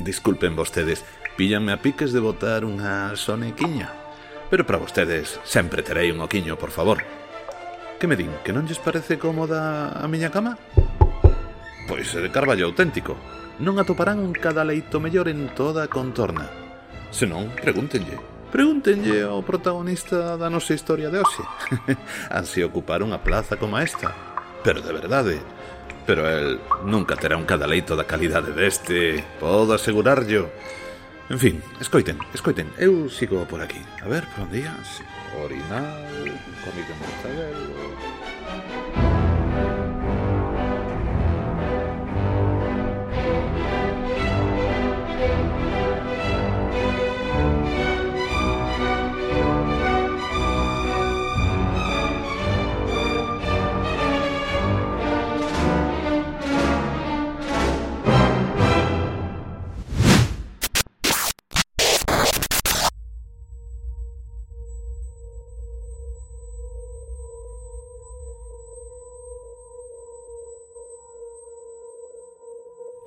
Disculpen vostedes, píllanme a piques de botar unha sonequiña. Pero para vostedes sempre terei un oquiño, por favor. Que me din, que non lles parece cómoda a miña cama? Pois é de carballo auténtico. Non atoparán un cadaleito mellor en toda a contorna. Senón, pregúntenlle ao protagonista da nosa historia de hoxe. Ansi ocupar unha plaza como esta. Pero de verdade. Pero el nunca terá un cadaleito da calidade deste, podo asegurarllo. En fin, escoiten, eu sigo por aquí. A ver, por onde ías? Orinal, comida mortadelo...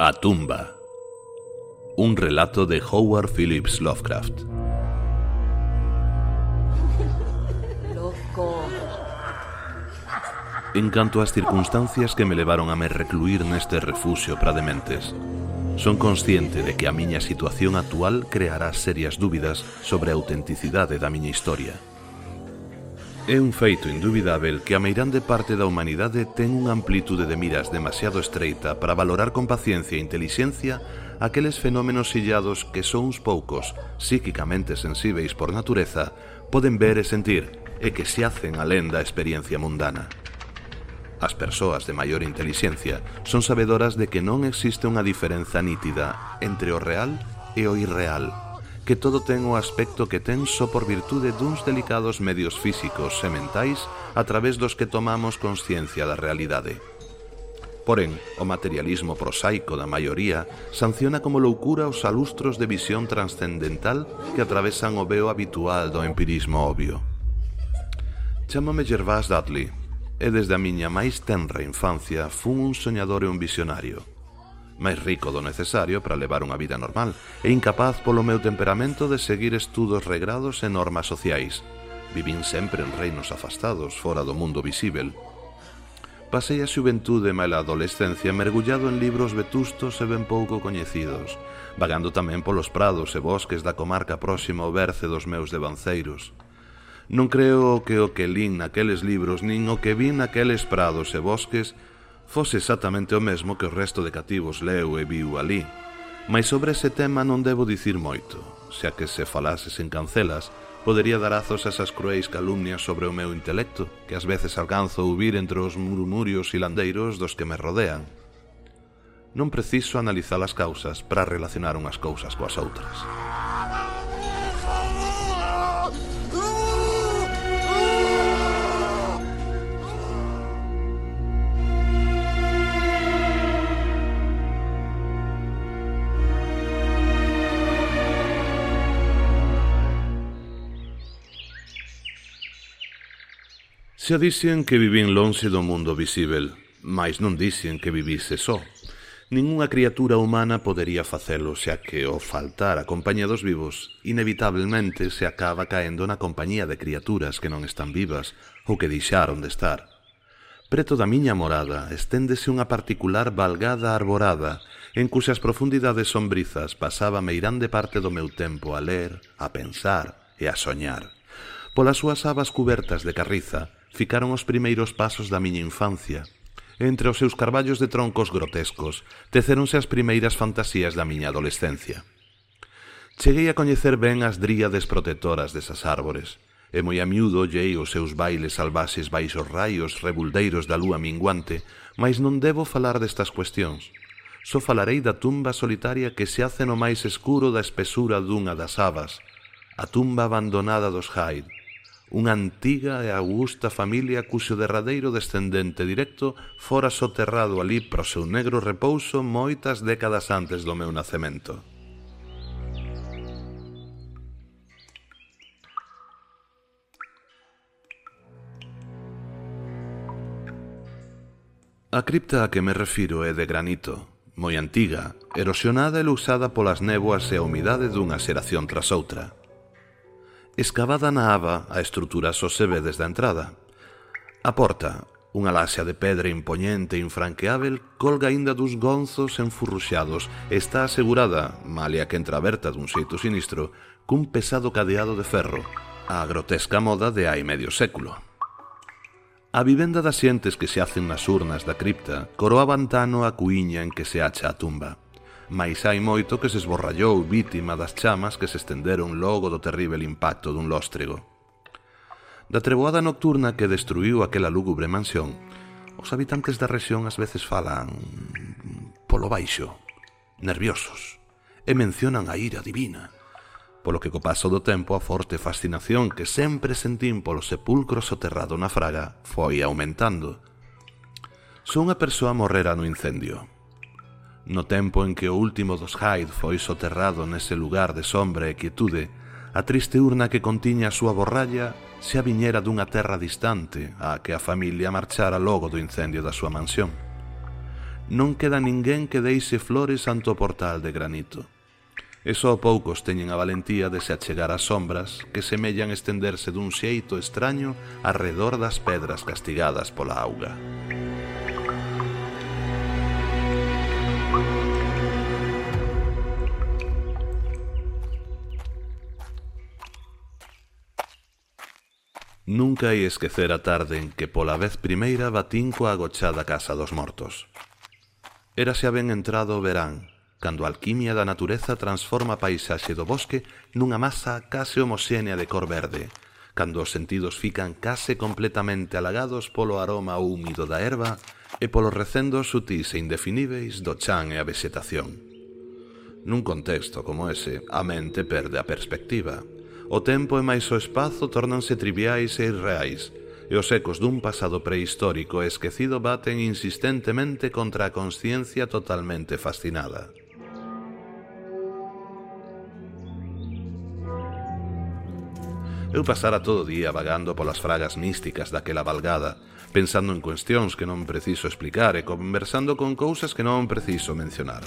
A tumba. Un relato de Howard Phillips Lovecraft. Loco. En canto ás circunstancias que me levaron a me recluir neste refuxio para dementes, son consciente de que a miña situación actual creará serias dúbidas sobre a autenticidade da miña historia. É un feito indubidável que a meirande parte da humanidade ten unha amplitude de miras demasiado estreita para valorar con paciencia e intelixencia aqueles fenómenos illados que só uns poucos, psíquicamente sensíveis por natureza, poden ver e sentir e que se hacen alén da experiencia mundana. As persoas de maior intelixencia son sabedoras de que non existe unha diferenza nítida entre o real e o irreal, que todo ten o aspecto que ten só por virtude duns delicados medios físicos e mentais a través dos que tomamos consciencia da realidade. Porén, o materialismo prosaico da maioría sanciona como loucura os alustros de visión transcendental que atravesan o veo habitual do empirismo obvio. Chámome Gervás Dudley, e desde a miña máis tenra infancia fun un soñador e un visionario. Máis rico do necesario para levar unha vida normal e incapaz polo meu temperamento de seguir estudos regrados e normas sociais. Vivín sempre en reinos afastados, fora do mundo visível. Pasei a xuventude e a adolescencia mergullado en libros vetustos e ben pouco coñecidos, vagando tamén polos prados e bosques da comarca próxima ao berce dos meus devanceiros. Non creo que o que lín naqueles libros nin o que vin naqueles prados e bosques fose exactamente o mesmo que o resto de cativos leu e viu ali. Mais sobre ese tema non debo dicir moito, xa que se falase sen cancelas, podería dar azos a esas cruéis calumnias sobre o meu intelecto, que ás veces alcanzo a ouvir entre os murmurios hilandeiros dos que me rodean. Non preciso analizar as causas para relacionar unhas cousas coas outras. Xa dixen que vivín lonxe do mundo visível, mais non dixen que vivise só. Ningunha criatura humana podería facelo, xa que ao faltar a compañía dos vivos, inevitablemente se acaba caendo na compañía de criaturas que non están vivas ou que deixaron de estar. Preto da miña morada esténdese unha particular valgada arborada, en cuxas profundidades sombrizas pasaba meirande parte do meu tempo a ler, a pensar e a soñar. Polas súas abas cubertas de carriza, ficaron os primeiros pasos da miña infancia. Entre os seus carballos de troncos grotescos, tecéronse as primeiras fantasías da miña adolescencia. Cheguei a coñecer ben as dríades protectoras desas árbores, e moi a miúdo ollei os seus bailes salvaxes baixo os raios rebuldeiros da lúa minguante, mas non debo falar destas cuestións. Só falarei da tumba solitaria que se hace no máis escuro da espesura dunha das abas, a tumba abandonada dos Hyde, unha antiga e augusta familia cuxo derradeiro descendente directo fora soterrado ali pro seu negro repouso moitas décadas antes do meu nacemento. A cripta a que me refiro é de granito, moi antiga, erosionada e luxada polas néboas e a humidade dunha xeración tras outra. Escavada na aba, a estrutura só se ve desde a entrada. A porta, unha laxa de pedra impoñente e infranqueável, colga aínda dos gonzos enfurruxados e está asegurada, malia que entreaberta dun xeito sinistro, cun pesado cadeado de ferro, a grotesca moda de hai medio século. A vivenda das xentes que se hacen nas urnas da cripta coroa vantano a cuíña en que se acha a tumba, mais hai moito que se esborrallou vítima das chamas que se estenderon logo do terrível impacto dun lóstrego. Da treboada nocturna que destruíu aquela lúgubre mansión, os habitantes da rexión ás veces falan polo baixo, nerviosos, e mencionan a ira divina, polo que co paso do tempo a forte fascinación que sempre sentín polo sepulcro soterrado na fraga foi aumentando. Só unha persoa morrera no incendio. No tempo en que o último dos Hyde foi soterrado nese lugar de sombra e quietude, a triste urna que contiña a súa borralla xa viñera dunha terra distante á que a familia marchara logo do incendio da súa mansión. Non queda ninguén que deixe flores ante o portal de granito. E só poucos teñen a valentía de se achegar ás sombras que semellan estenderse dun xeito extraño arredor das pedras castigadas pola auga. Nunca hai esquecer a tarde en que pola vez primeira batín coa agochada casa dos mortos. Era xa ben entrado o verán, cando a alquimia da natureza transforma a paisaxe do bosque nunha masa case homoxénea de cor verde, cando os sentidos fican case completamente halagados polo aroma húmido da erva e polos recendos sutís e indefiníveis do chan e a vexetación. Nun contexto como ese, a mente perde a perspectiva. O tempo e máis o espazo tórnanse triviais e irreais, e os ecos dun pasado prehistórico e esquecido baten insistentemente contra a consciencia totalmente fascinada. Eu pasara todo o día vagando polas fragas místicas daquela valgada, pensando en cuestións que non preciso explicar e conversando con cousas que non preciso mencionar.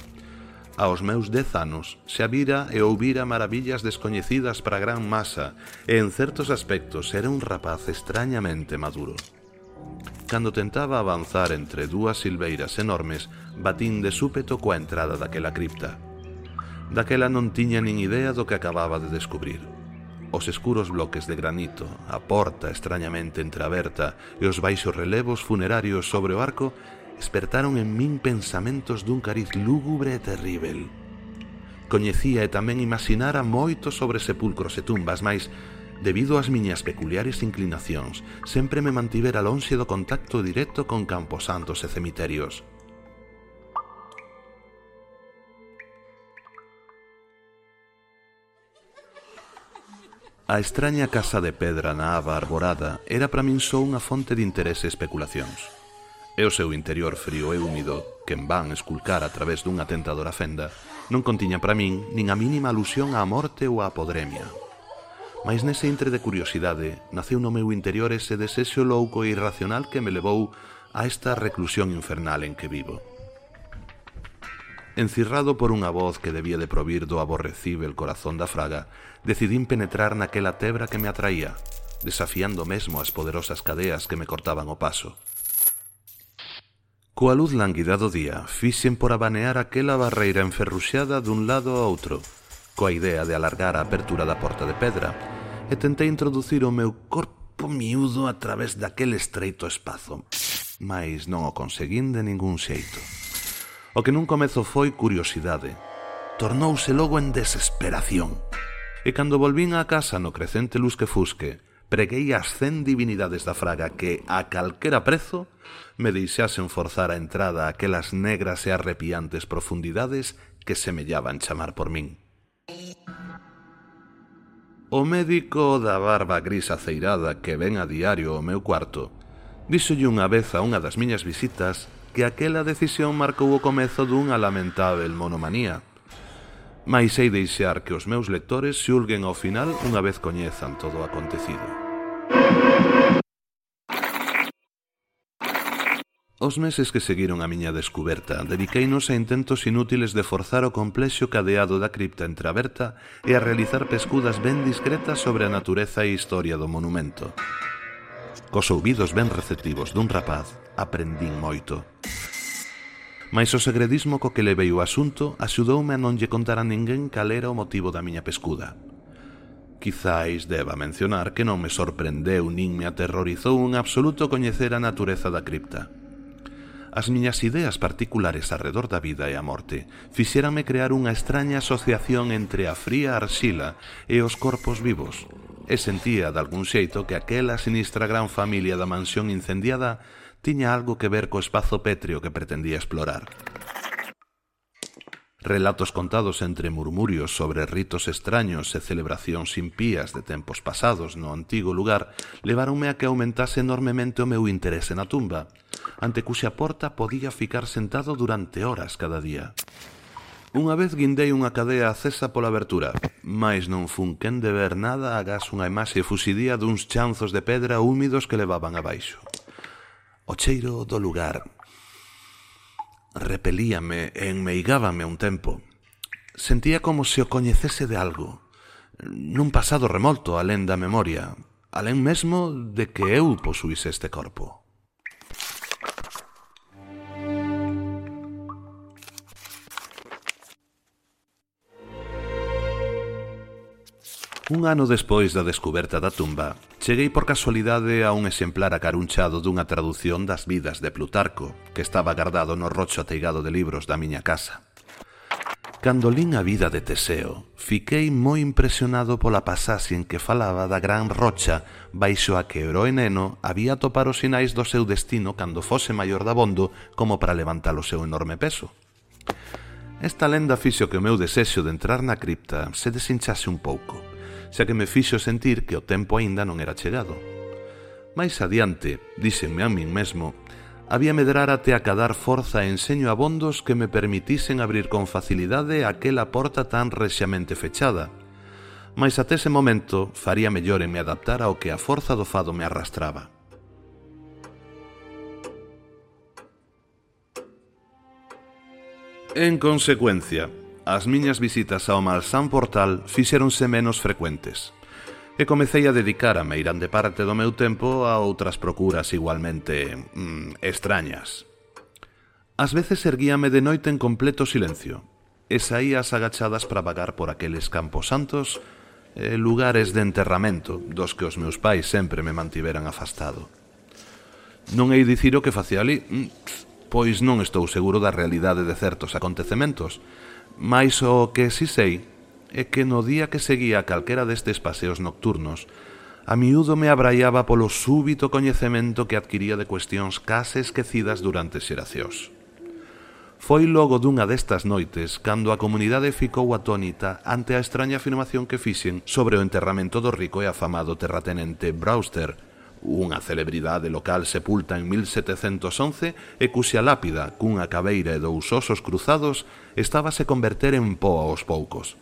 Aos meus 10 anos xa vira e ouvira maravillas descoñecidas para a gran masa e en certos aspectos era un rapaz extrañamente maduro. Cando tentaba avanzar entre dúas silveiras enormes, batín de súpeto coa entrada daquela cripta. Daquela non tiña nin idea do que acababa de descubrir. Os escuros bloques de granito, a porta extrañamente entreaberta e os baixos relevos funerarios sobre o arco despertaron en min pensamentos dun cariz lúgubre e terrível. Coñecía e tamén imaginara moito sobre sepulcros e tumbas, mas, debido ás miñas peculiares inclinacións, sempre me mantivera lonxe do contacto directo con camposantos e cemiterios. A extraña casa de pedra na aba arborada era para min só unha fonte de interese e especulacións. E o seu interior frío e húmido, que en van esculcar a través dunha tentadora fenda, non contiña para min nin a mínima alusión á morte ou á podremia. Mais nese intre de curiosidade naceu no meu interior ese desexo louco e irracional que me levou a esta reclusión infernal en que vivo. Encirrado por unha voz que debía de provir do aborrecível corazón da fraga, decidín penetrar naquela tebra que me atraía, desafiando mesmo as poderosas cadeas que me cortaban o paso. Coa luz lánguida do día, fixen por abanear aquela barreira enferruxada dun lado ao outro, coa idea de alargar a apertura da porta de pedra, e tentei introducir o meu corpo miúdo a través daquele estreito espazo, mais non o conseguín de ningún xeito. O que nun comezo foi curiosidade, tornouse logo en desesperación. E cando volvín á casa no crecente lusque-fusque, preguei as 100 divinidades da fraga que, a calquera prezo, me deixasen forzar a entrada a aquelas negras e arrepiantes profundidades que semellaban chamar por min. O médico da barba gris aceirada que ven a diario ao meu cuarto díxolle unha vez a unha das miñas visitas que aquela decisión marcou o comezo dunha lamentável monomanía. Mais sei deixar que os meus lectores xulguen ao final unha vez coñezan todo o acontecido. Os meses que seguiron a miña descuberta dediqueinos a intentos inútiles de forzar o complexo cadeado da cripta entreaberta e a realizar pescudas ben discretas sobre a natureza e historia do monumento. Cos ouvidos ben receptivos dun rapaz, aprendín moito. Mais o segredismo co que levei o asunto axudoume a non lle contar a ninguén cal era o motivo da miña pescuda. Quizáis deba mencionar que non me sorprendeu nin me aterrorizou en absoluto coñecer a natureza da cripta. As miñas ideas particulares arredor da vida e a morte fixéranme crear unha extraña asociación entre a fría arxila e os corpos vivos, e sentía de algún xeito que aquela sinistra gran familia da mansión incendiada tiña algo que ver co espazo pétreo que pretendía explorar. Relatos contados entre murmurios sobre ritos extraños e celebracións impías de tempos pasados no antigo lugar leváronme a que aumentase enormemente o meu interese na tumba, ante cuxa porta podía ficar sentado durante horas cada día. Unha vez guindei unha cadea acesa pola abertura, mais non fun quen de ver nada agás unha imaxe fuxidía duns chanzos de pedra húmidos que levaban abaixo. O cheiro do lugar repelíame e enmeigábame un tempo. Sentía como se o coñecese de algo, nun pasado remolto alén da memoria, alén mesmo de que eu posuíse este corpo. Un ano despois da descuberta da tumba, cheguei por casualidade a un exemplar acarunchado dunha tradución das Vidas de Plutarco, que estaba guardado no rocho ateigado de libros da miña casa. Cando lín a vida de Teseo, fiquei moi impresionado pola pasaxe en que falaba da gran rocha baixo a que o heroe neno había topar os sinais do seu destino cando fose maior dabondo como para levantar o seu enorme peso. Esta lenda fixo que o meu desexo de entrar na cripta se desinchase un pouco, xa que me fixo sentir que o tempo aínda non era chegado. Mais adiante, díxenme a min mesmo, había medrar até acadar forza e enseño abondos que me permitisen abrir con facilidade aquela porta tan rexamente fechada. Mais até ese momento faría mellor en me adaptar ao que a forza do fado me arrastraba. En consecuencia, as miñas visitas ao malsán portal fixéronse menos frecuentes e comecei a dedicar a meirande parte do meu tempo a outras procuras igualmente extrañas. Ás veces erguíame de noite en completo silencio e saía as agachadas para vagar por aqueles campos santos e lugares de enterramento dos que os meus pais sempre me mantiveran afastado. Non hei dicir o que facía ali, pois non estou seguro da realidade de certos acontecementos, mais o que si sei é que no día que seguía calquera destes paseos nocturnos, a miúdo me abraiaba polo súbito coñecemento que adquiría de cuestións case esquecidas durante xeracións. Foi logo dunha destas noites cando a comunidade ficou atónita ante a extraña afirmación que fixen sobre o enterramento do rico e afamado terratenente Brewster, unha celebridade local sepulta en 1711 e cuxa lápida, cunha cabeira e dous osos cruzados, estábase converter en pó aos poucos.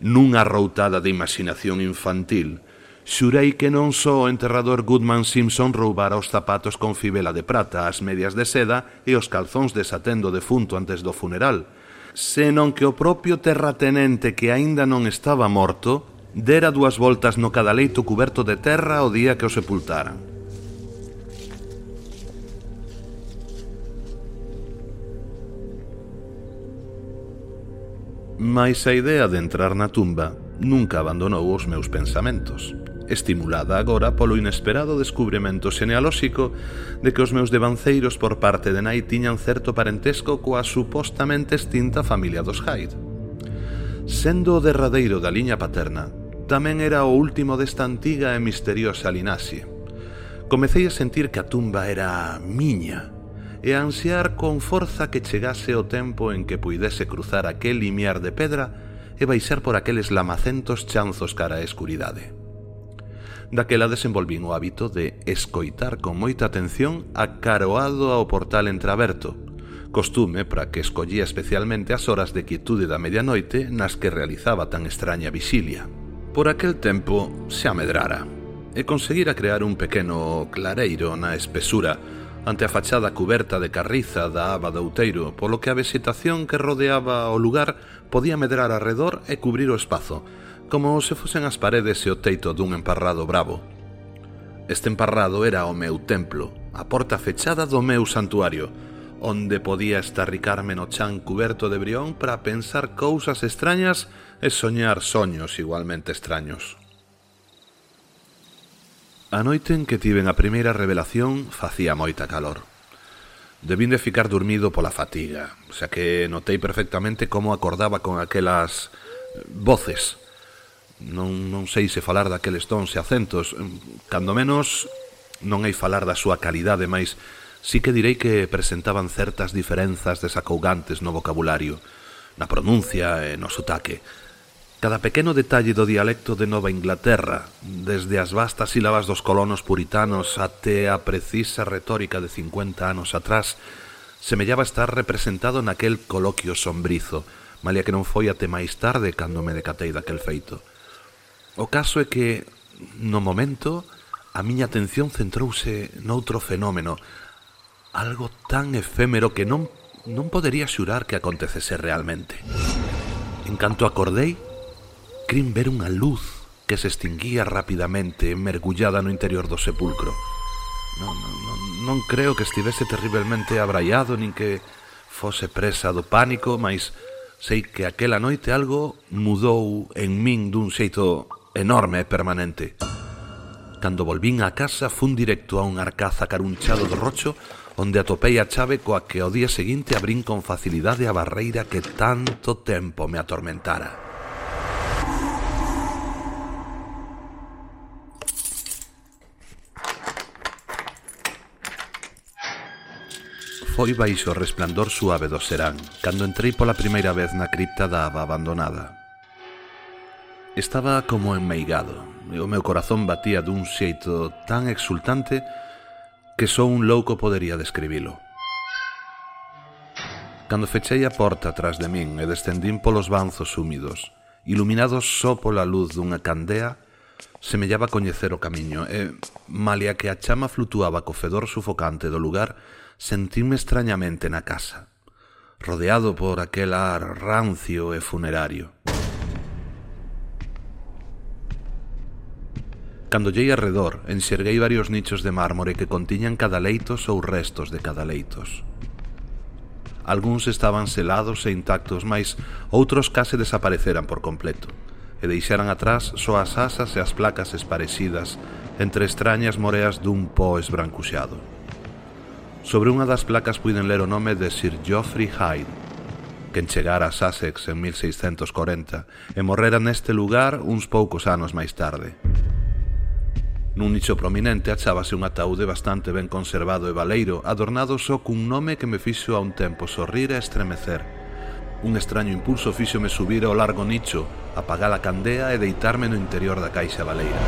Nunha arroutada de imaginación infantil, xurei que non só o enterrador Goodman Simpson roubara os zapatos con fibela de prata, as medias de seda e os calzóns de satén do defunto antes do funeral, senón que o propio terratenente que aínda non estaba morto dera 2 voltas no cadaleito cuberto de terra o día que o sepultaran. Mais a idea de entrar na tumba nunca abandonou os meus pensamentos, estimulada agora polo inesperado descubrimento xenealóxico de que os meus devanceiros por parte de nai tiñan certo parentesco coa supostamente extinta familia dos Hyde. Sendo o derradeiro da liña paterna, tamén era o último desta antiga e misteriosa linaxe. Comecei a sentir que a tumba era miña e a ansiar con forza que chegase o tempo en que puidese cruzar aquel limiar de pedra e baixar por aqueles lamacentos chanzos cara á escuridade. Daquela desenvolvín o hábito de escoitar con moita atención acaroado ao portal entreaberto, costume para que escollía especialmente as horas de quietude da medianoite nas que realizaba tan extraña vixilia. Por aquel tempo xa medrara e conseguira crear un pequeno clareiro na espesura ante a fachada cuberta de carriza da aba do outeiro, polo que a vexetación que rodeaba o lugar podía medrar arredor e cubrir o espazo, como se fosen as paredes e o teito dun emparrado bravo. Este emparrado era o meu templo, a porta fechada do meu santuario, onde podía estarricarme no chan cuberto de brión para pensar cousas extrañas e soñar soños igualmente extraños. A noite en que tiven a primeira revelación facía moita calor. Debín de ficar dormido pola fatiga, xa que notei perfectamente como acordaba con aquelas voces. Non sei se falar daqueles tons e acentos, cando menos non hei falar da súa calidade, mais sí que direi que presentaban certas diferenzas desacougantes no vocabulario, na pronuncia e no sotaque. Cada pequeno detalle do dialecto de Nova Inglaterra, desde as vastas sílabas dos colonos puritanos até a precisa retórica de 50 anos atrás, semellaba estar representado naquel coloquio sombrizo, malia que non foi até máis tarde cando me decatei daquel feito. O caso é que, no momento, a miña atención centrouse noutro fenómeno, algo tan efémero que non podería xurar que acontecese realmente. En canto acordei, crin ver unha luz que se extinguía rapidamente, mergullada no interior do sepulcro. Non creo que estivese terriblemente abraiado, nin que fose presa do pánico, mas sei que aquela noite algo mudou en min dun xeito enorme e permanente. Cando volvín á casa, fun directo a un arcaz acarunchado do rocho, onde atopei a chave coa que ao día seguinte abrín con facilidade a barreira que tanto tempo me atormentara. Foi baixo o resplandor suave do serán, cando entrei pola primeira vez na cripta da aba abandonada. Estaba como enmeigado, e o meu corazón batía dun xeito tan exultante que só un louco podería describilo. Cando fechei a porta tras de min e descendín polos banzos húmidos, iluminados só pola luz dunha candea, semellaba coñecer o camiño e, malia que a chama flutuaba co fedor sufocante do lugar, sentíme extrañamente na casa, rodeado por aquel ar rancio e funerario. Cando llei arredor, enxerguei varios nichos de mármore que contiñan cadaleitos ou restos de cadaleitos. Algúns estaban selados e intactos, mais outros case desapareceran por completo, e deixaran atrás só as asas e as placas esparecidas entre extrañas moreas dun pó esbrancuxado. Sobre unha das placas puiden ler o nome de Sir Geoffrey Hyde, que chegara a Sussex en 1640 e morrera neste lugar uns poucos anos máis tarde. Nun nicho prominente achábase un ataúde bastante ben conservado e baleiro, adornado só cun nome que me fixo a un tempo sorrir e estremecer. Un extraño impulso fíxome subir ao largo nicho, apagar a candea e deitarme no interior da caixa baleira.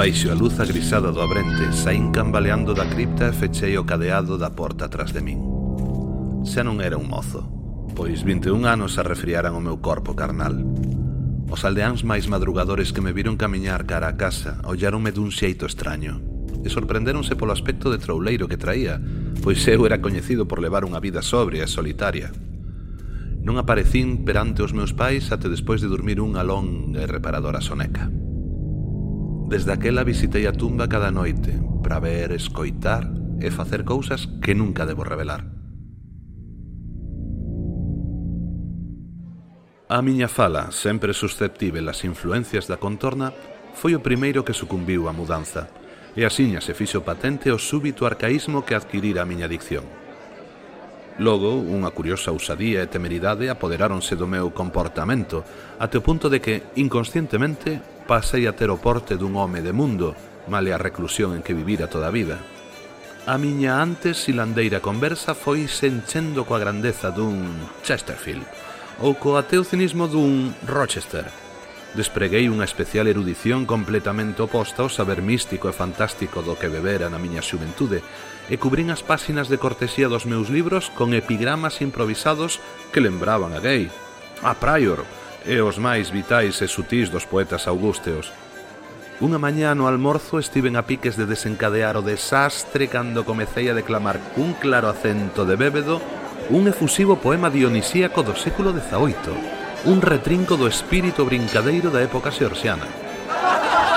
Baixo a luz agrisada do abrente, saín cambaleando da cripta e fechei o cadeado da porta tras de min. Xa non era un mozo, pois 21 anos arrefriaran o meu corpo carnal. Os aldeáns máis madrugadores que me viron camiñar cara a casa olláronme dun xeito extraño e sorprendéronse polo aspecto de trouleiro que traía, pois eu era coñecido por levar unha vida sobria e solitaria. Non aparecín perante os meus pais até despois de dormir unha longa e reparadora soneca. Desde aquela visitei a tumba cada noite para ver, escoitar e facer cousas que nunca debo revelar. A miña fala, sempre susceptível ás influencias da contorna, foi o primeiro que sucumbiu á mudanza, e asiña se fixo patente o súbito arcaísmo que adquirira a miña dicción. Logo, unha curiosa ousadía e temeridade apoderáronse do meu comportamento, até o punto de que, inconscientemente, pasei a ter o porte dun home de mundo, male a reclusión en que vivira toda a vida. A miña antes silandeira conversa foi se enchendo coa grandeza dun Chesterfield, ou co ateo cinismo dun Rochester, Despreguei unha especial erudición completamente oposta ao saber místico e fantástico do que bebera na miña xuventude e cubrín as páxinas de cortesía dos meus libros con epigramas improvisados que lembraban a Gay, a Prior e os máis vitais e sutís dos poetas augusteos. Unha mañá no almorzo estiven a piques de desencadear o desastre cando comecei a declamar cun claro acento de bébedo un efusivo poema dionisíaco do século XVIII, un retrinco do espírito brincadeiro da época xeorxiana.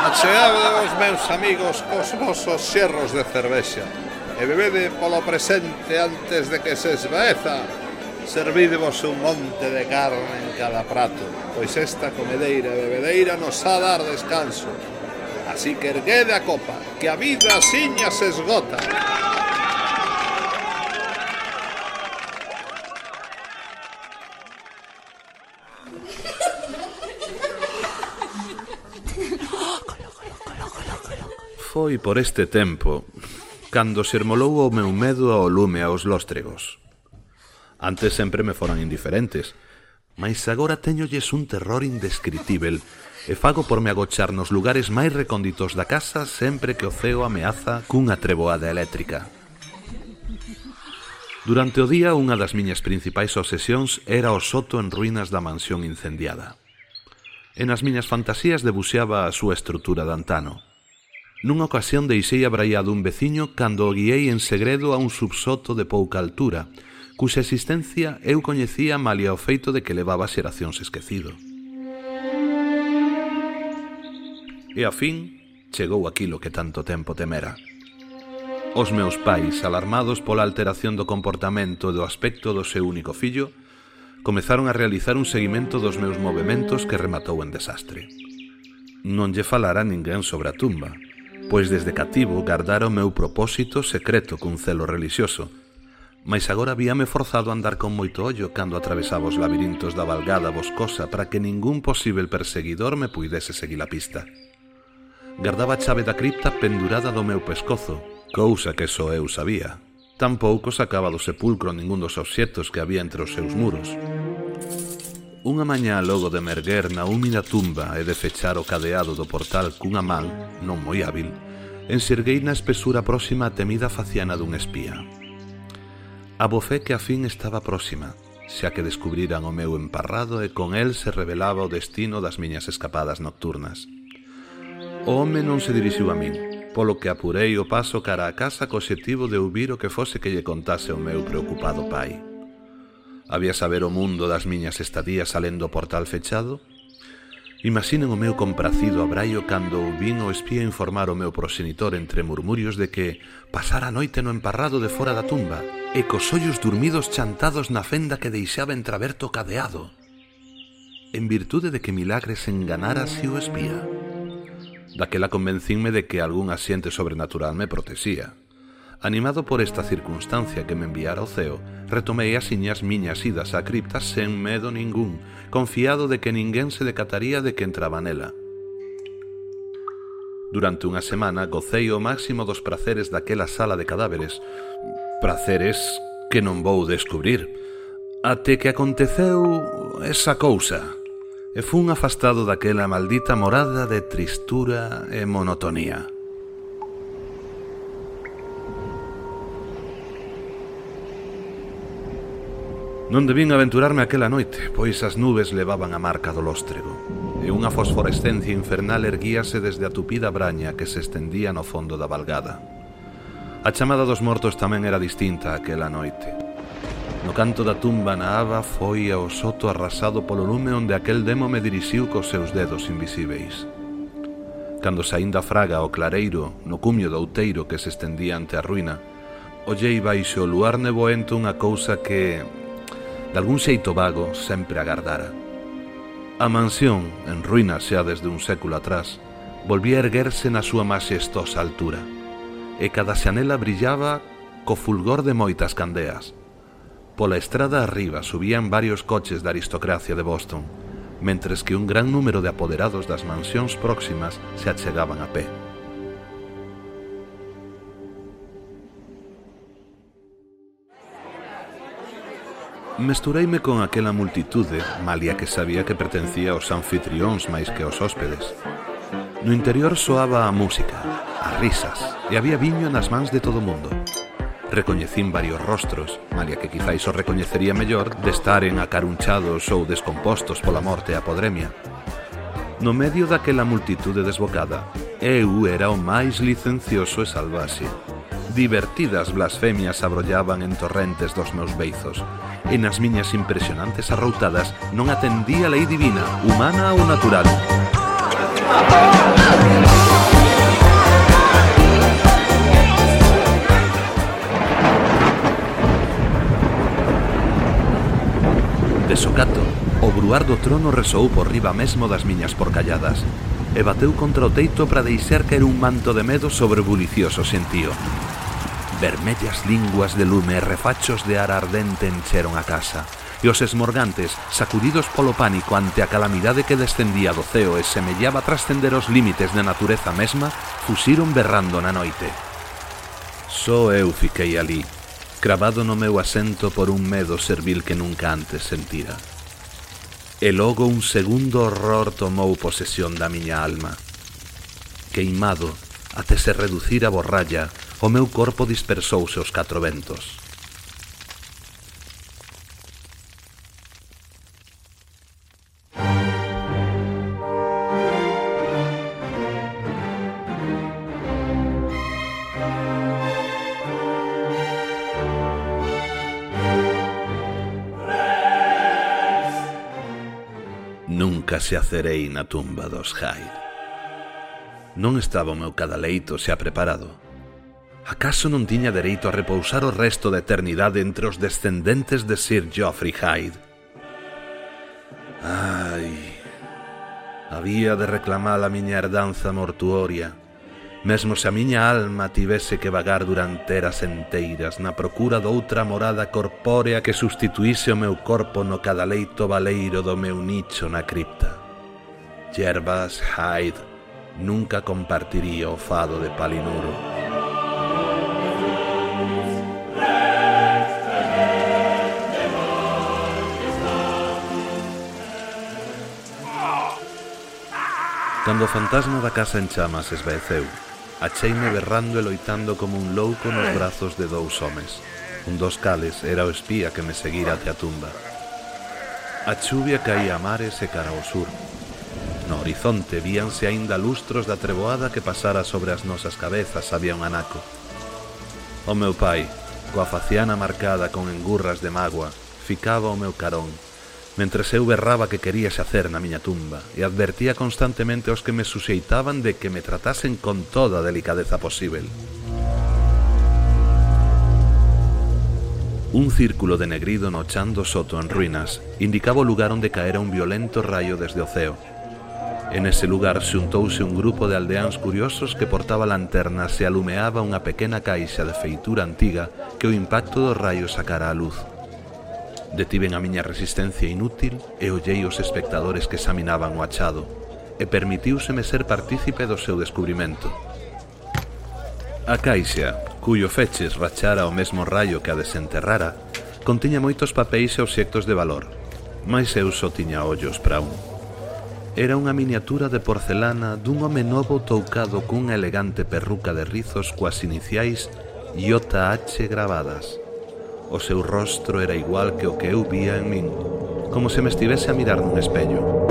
Acheade os meus amigos cos vosos xerros de cervexa e bebede polo presente antes de que se esvaeza. Servídevos un monte de carne en cada prato, pois esta comedeira e bebedeira nos ha dar descanso. Así que erguede a copa, que a vida asiña se esgota. Foi por este tempo cando se ermolou o meu medo ao lume aos lóstregos. Antes sempre me foran indiferentes, mais agora teñolles un terror indescritível e fago por me agochar nos lugares máis recónditos da casa sempre que o ceo ameaza cunha treboada eléctrica. Durante o día, unha das miñas principais obsesións era o soto en ruínas da mansión incendiada. E nas miñas fantasías debuxeaba a súa estrutura de antano. Nunha ocasión deixei abraiado un veciño cando o guiei en segredo a un subsoto de pouca altura, cuxa existencia eu coñecía malia o feito de que levaba xeracións esquecido. E a fin chegou aquilo que tanto tempo temera. Os meus pais, alarmados pola alteración do comportamento e do aspecto do seu único fillo, comezaron a realizar un seguimento dos meus movementos que rematou en desastre. Non lle falara a ninguén sobre a tumba, pois desde cativo gardara o meu propósito secreto cun celo relixioso, mais agora víame forzado a andar con moito ollo cando atravesaba os labirintos da valgada boscosa para que ningún posível perseguidor me puidese seguir a pista. Gardaba a chave da cripta pendurada do meu pescozo, cousa que só eu sabía. Tampouco sacaba do sepulcro ningún dos obxectos que había entre os seus muros. Unha mañá logo de merguer na húmida tumba e de fechar o cadeado do portal cunha man, non moi hábil, enxerguei na espesura próxima a temida faciana dun espía. Abofé que a fin estaba próxima, xa que descubriran o meu emparrado e con el se revelaba o destino das miñas escapadas nocturnas. O home non se dirixiu a min, polo que apurei o paso cara a casa co obxectivo de ouvir o que fose que lle contase o meu preocupado pai. Había saber o mundo das miñas estadías alén do portal fechado? Imaginen o meu compracido abraio cando ouvin o espía informar o meu proxenitor entre murmurios de que pasara a noite no emparrado de fora da tumba e cos ollos durmidos chantados na fenda que deixaba entreaberto o cadeado. En virtude de que milagre se enganara así o espía. Daquela convencínme de que algún asiente sobrenatural me protexía. Animado por esta circunstancia que me enviara ao ceo, retomei asiñas miñas idas á cripta sen medo ningún, confiado de que ninguén se decataría de que entraba nela. Durante unha semana gocei o máximo dos praceres daquela sala de cadáveres, praceres que non vou descubrir, até que aconteceu esa cousa, e fun afastado daquela maldita morada de tristura e monotonía. Non debín aventurarme aquela noite, pois as nubes levaban a marca do lóstrego, e unha fosforescencia infernal erguíase desde a tupida braña que se estendía no fondo da valgada. A chamada dos mortos tamén era distinta aquela noite. No canto da tumba na aba foi ao soto arrasado polo lume onde aquel demo me dirixiu cos seus dedos invisíveis. Cando saín da fraga ao clareiro, no cumio do outeiro que se estendía ante a ruína, ollei baixo o luar neboento unha cousa que, de algún xeito vago, sempre agardara. A mansión, en ruínas xa desde un século atrás, volvía a erguerse na súa maxestosa altura, e cada xanela brillaba co fulgor de moitas candeas. Pola estrada arriba subían varios coches da aristocracia de Boston, mentres que un gran número de apoderados das mansións próximas se achegaban a pé. Mestureime con aquela multitude, malia que sabía que pertencía aos anfitrións máis que aos hóspedes. No interior soaba a música, as risas, e había viño nas mans de todo o mundo. Recoñecín varios rostros, malia que quizáis os recoñecería mellor de estaren acarunchados ou descompostos pola morte e a podremia. No medio daquela multitude desbocada, eu era o máis licencioso e salvaxe. Divertidas blasfemias abrollaban en torrentes dos meus beizos, e nas miñas impresionantes arroutadas non atendía a lei divina, humana ou natural. De socato, o bruar do trono resoou por riba mesmo das miñas porcalladas e bateu contra o teito para deixar caer un manto de medo sobre o bulicioso xentío. Vermellas linguas de lume e refachos de ar ardente encheron a casa, e os esmorgantes, sacudidos polo pánico ante a calamidade que descendía do ceo e semellaba trascender os límites da natureza mesma, fuxiron berrando na noite. Só eu fiquei ali, cravado no meu asento por un medo servil que nunca antes sentira. E logo un segundo horror tomou posesión da miña alma. Queimado, até se reducir a borralla, o meu corpo dispersouse aos 4 ventos. Nunca se acerei na tumba dos Hyde. Non estaba o meu cadaleito xa preparado. Acaso non tiña dereito a repousar o resto da eternidade entre os descendentes de Sir Geoffrey Hyde? Ai, había de reclamar a miña herdanza mortuoria, mesmo se a miña alma tivese que vagar durante eras enteiras na procura doutra morada corpórea que sustituíse o meu corpo no cadaleito baleiro do meu nicho na cripta. Gervas Hyde nunca compartiría o fado de Palinuro. Cando o fantasma da casa en chamas esvaeceu, acheime berrando e loitando como un louco nos brazos de 2 homes. Un dos cales era o espía que me seguira até a tumba. A chuvia caía a mares e cara ao sur. No horizonte víanse aínda lustros da treboada que pasara sobre as nosas cabezas había un anaco. O meu pai, coa faciana marcada con engurras de mágoa, ficaba ao meu carón, mentres eu berraba que quería xacer na miña tumba e advertía constantemente aos que me suxeitaban de que me tratasen con toda a delicadeza posível. Un círculo de negrido no chan do soto en ruínas indicaba o lugar onde caera un violento raio desde o ceo. En ese lugar xuntouse un grupo de aldeáns curiosos que portaba lanternas e alumeaba unha pequena caixa de feitura antiga que o impacto do raio sacara á luz. Detiven a miña resistencia inútil e ollei os espectadores que examinaban o achado, e permitiúseme ser partícipe do seu descubrimento. A caixa, cuyo feches rachara o mesmo raio que a desenterrara, contiña moitos papéis e obxectos de valor, mais eu só tiña ollos para un. Era unha miniatura de porcelana dun home novo toucado cunha elegante perruca de rizos coas iniciais JH gravadas. O seu rostro era igual que o que eu vía en min, como se me estivese a mirar nun espello.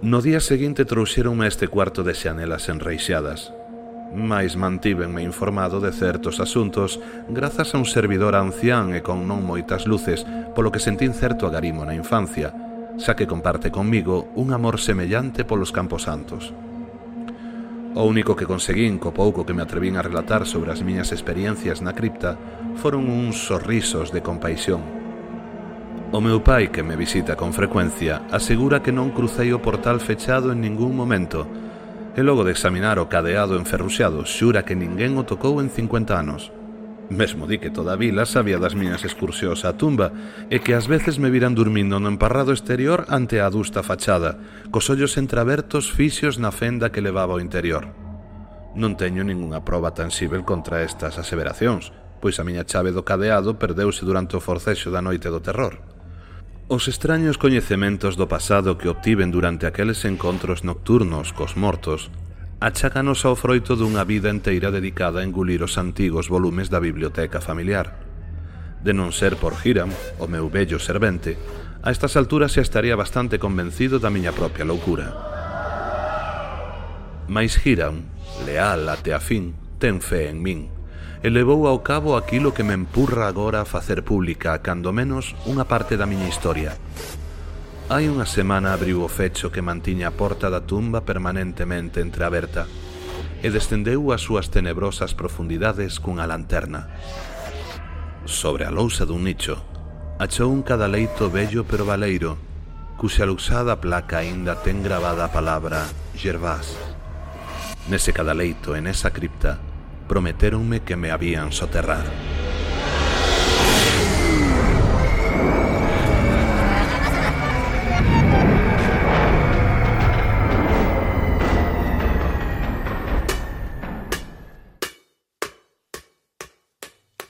No día seguinte trouxeronme este cuarto de xanelas enreixadas, mais mantívenme informado de certos asuntos grazas a un servidor ancián e con non moitas luces, polo que sentín certo agarimo na infancia, xa que comparte conmigo un amor semellante polos camposantos. O único que conseguín co pouco que me atrevín a relatar sobre as miñas experiencias na cripta foron uns sorrisos de compaixón. O meu pai, que me visita con frecuencia, asegura que non crucei o portal fechado en ningún momento, e logo de examinar o cadeado enferruxado xura que ninguén o tocou en 50 anos. Mesmo di que toda a vila sabía das miñas excursións á tumba e que ás veces me viran dormindo no emparrado exterior ante a adusta fachada, cos ollos entreabertos fixios na fenda que levaba ao interior. Non teño ningunha proba tansível contra estas aseveracións, pois a miña chave do cadeado perdeuse durante o forcexo da noite do terror. Os extraños coñecementos do pasado que obtiven durante aqueles encontros nocturnos cos mortos achácanos ao froito dunha vida enteira dedicada a engulir os antigos volumes da biblioteca familiar. De non ser por Hiram, o meu vello servente, a estas alturas xa estaría bastante convencido da miña propia loucura. Mais Hiram, leal até a fin, ten fe en min, e levou ao cabo aquilo que me empurra agora a facer pública, cando menos, unha parte da miña historia. Hai unha semana abriu o fecho que mantiña a porta da tumba permanentemente entreaberta e descendeu ás súas tenebrosas profundidades cunha lanterna. Sobre a lousa dun nicho, achou un cadaleito vello pero baleiro, cuxa luxada placa aínda ten gravada a palabra Gervás. Nese cadaleito e nesa cripta prometéronme que me habían soterrar.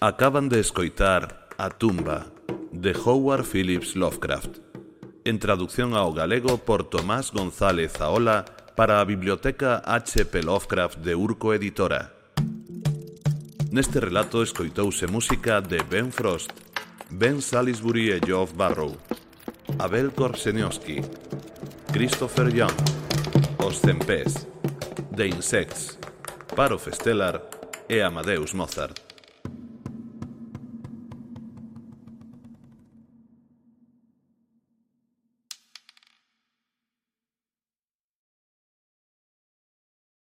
Acaban de escoitar A tumba, de Howard Phillips Lovecraft, en traducción ao galego por Tomás González Aola para a Biblioteca H.P. Lovecraft de Urco Editora. Neste relato escoitouse música de Ben Frost, Ben Salisbury e Geoff Barrow, Abel Korzeniowski, Christopher Young, Os Cempés, The Insects, Paro Festellar e Amadeus Mozart.